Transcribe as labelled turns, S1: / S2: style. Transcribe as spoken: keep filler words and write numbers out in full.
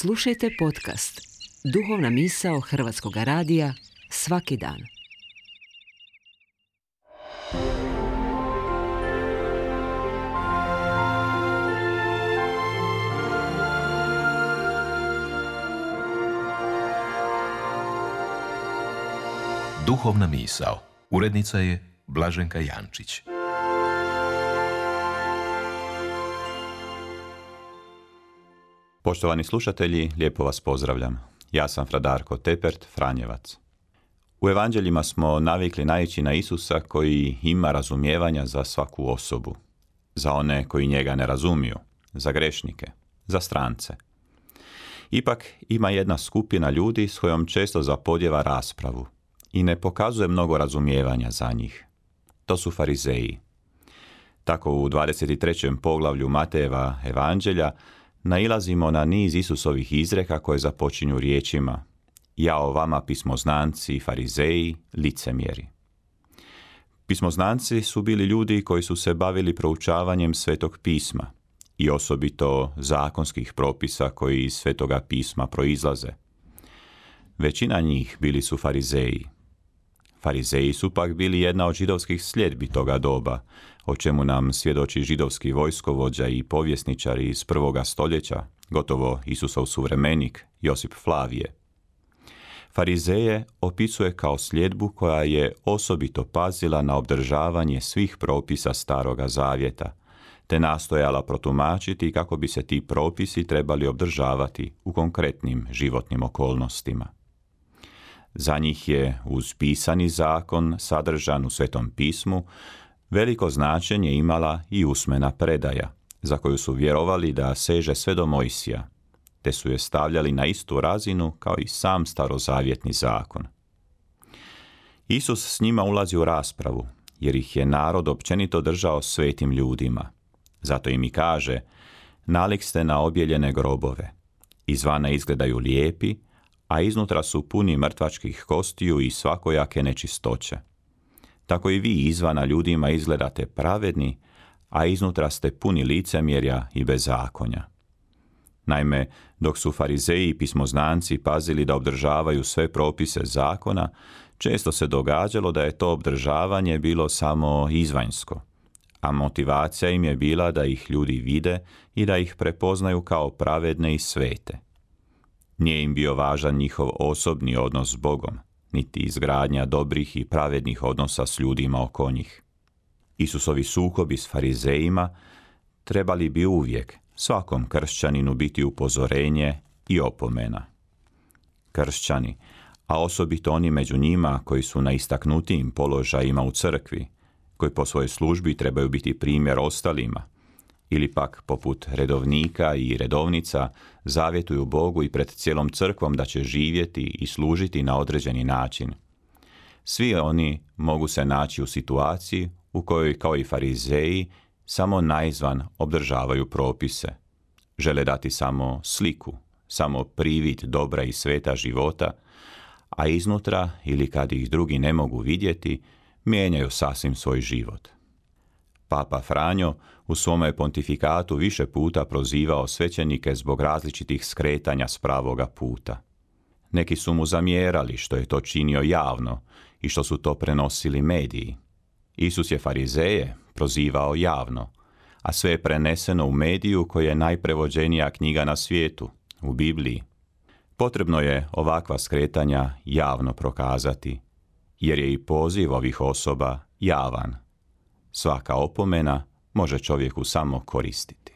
S1: Slušajte podcast Duhovna misao Hrvatskog radija svaki dan.
S2: Duhovna misao. Urednica je Blaženka Jančić.
S3: Poštovani slušatelji, lijepo vas pozdravljam. Ja sam fra Darko Tepert, Franjevac. U evanđeljima smo navikli naići na Isusa koji ima razumijevanja za svaku osobu. Za one koji njega ne razumiju, za grešnike, za strance. Ipak ima jedna skupina ljudi s kojom često zapodijeva raspravu i ne pokazuje mnogo razumijevanja za njih. To su farizeji. Tako u dvadeset trećem poglavlju Matejeva evanđelja nailazimo na niz Isusovih izreka koje započinju riječima: jao vama pismoznanci, farizeji, licemjeri. Pismoznanci su bili ljudi koji su se bavili proučavanjem Svetog pisma i osobito zakonskih propisa koji iz Svetoga pisma proizlaze. Većina njih bili su farizeji. Farizeji su pak bili jedna od židovskih sljedbi toga doba, o čemu nam svjedoči židovski vojskovođa i povjesničar iz prvoga stoljeća, gotovo Isusov suvremenik, Josip Flavije. Farizeje opisuje kao sljedbu koja je osobito pazila na obdržavanje svih propisa Staroga zavjeta, te nastojala protumačiti kako bi se ti propisi trebali obdržavati u konkretnim životnim okolnostima. Za njih je uz pisani zakon sadržan u Svetom pismu veliko značenje imala i usmena predaja, za koju su vjerovali da seže sve do Mojsija, te su je stavljali na istu razinu kao i sam starozavjetni zakon. Isus s njima ulazi u raspravu, jer ih je narod općenito držao svetim ljudima. Zato im i kaže: nalik ste na objeljene grobove, izvana izgledaju lijepi, a iznutra su puni mrtvačkih kostiju i svakojake nečistoće. Tako i vi izvana ljudima izgledate pravedni, a iznutra ste puni licemjerja i bezakonja. Naime, dok su farizeji i pismoznanci pazili da obdržavaju sve propise zakona, često se događalo da je to obdržavanje bilo samo izvanjsko, a motivacija im je bila da ih ljudi vide i da ih prepoznaju kao pravedne i svete. Nije im bio važan njihov osobni odnos s Bogom, niti izgradnja dobrih i pravednih odnosa s ljudima oko njih. Isusovi sukobi s farizejima trebali bi uvijek svakom kršćaninu biti upozorenje i opomena. Kršćani, a osobito oni među njima koji su na istaknutijim položajima u crkvi, koji po svojoj službi trebaju biti primjer ostalima, ili pak poput redovnika i redovnica zavjetuju Bogu i pred cijelom crkvom da će živjeti i služiti na određeni način. Svi oni mogu se naći u situaciji u kojoj, kao i farizeji, samo naizvan obdržavaju propise. Žele dati samo sliku, samo privid dobra i sveta života, a iznutra, ili kad ih drugi ne mogu vidjeti, mijenjaju sasvim svoj život. Papa Franjo u svome pontifikatu više puta prozivao svećenike zbog različitih skretanja s pravoga puta. Neki su mu zamjerali što je to činio javno i što su to prenosili mediji. Isus je farizeje prozivao javno, a sve je preneseno u mediju koji je najprevođenija knjiga na svijetu, u Bibliji. Potrebno je ovakva skretanja javno prokazati, jer je i poziv ovih osoba javan. Svaka opomena može čovjeku samo koristiti.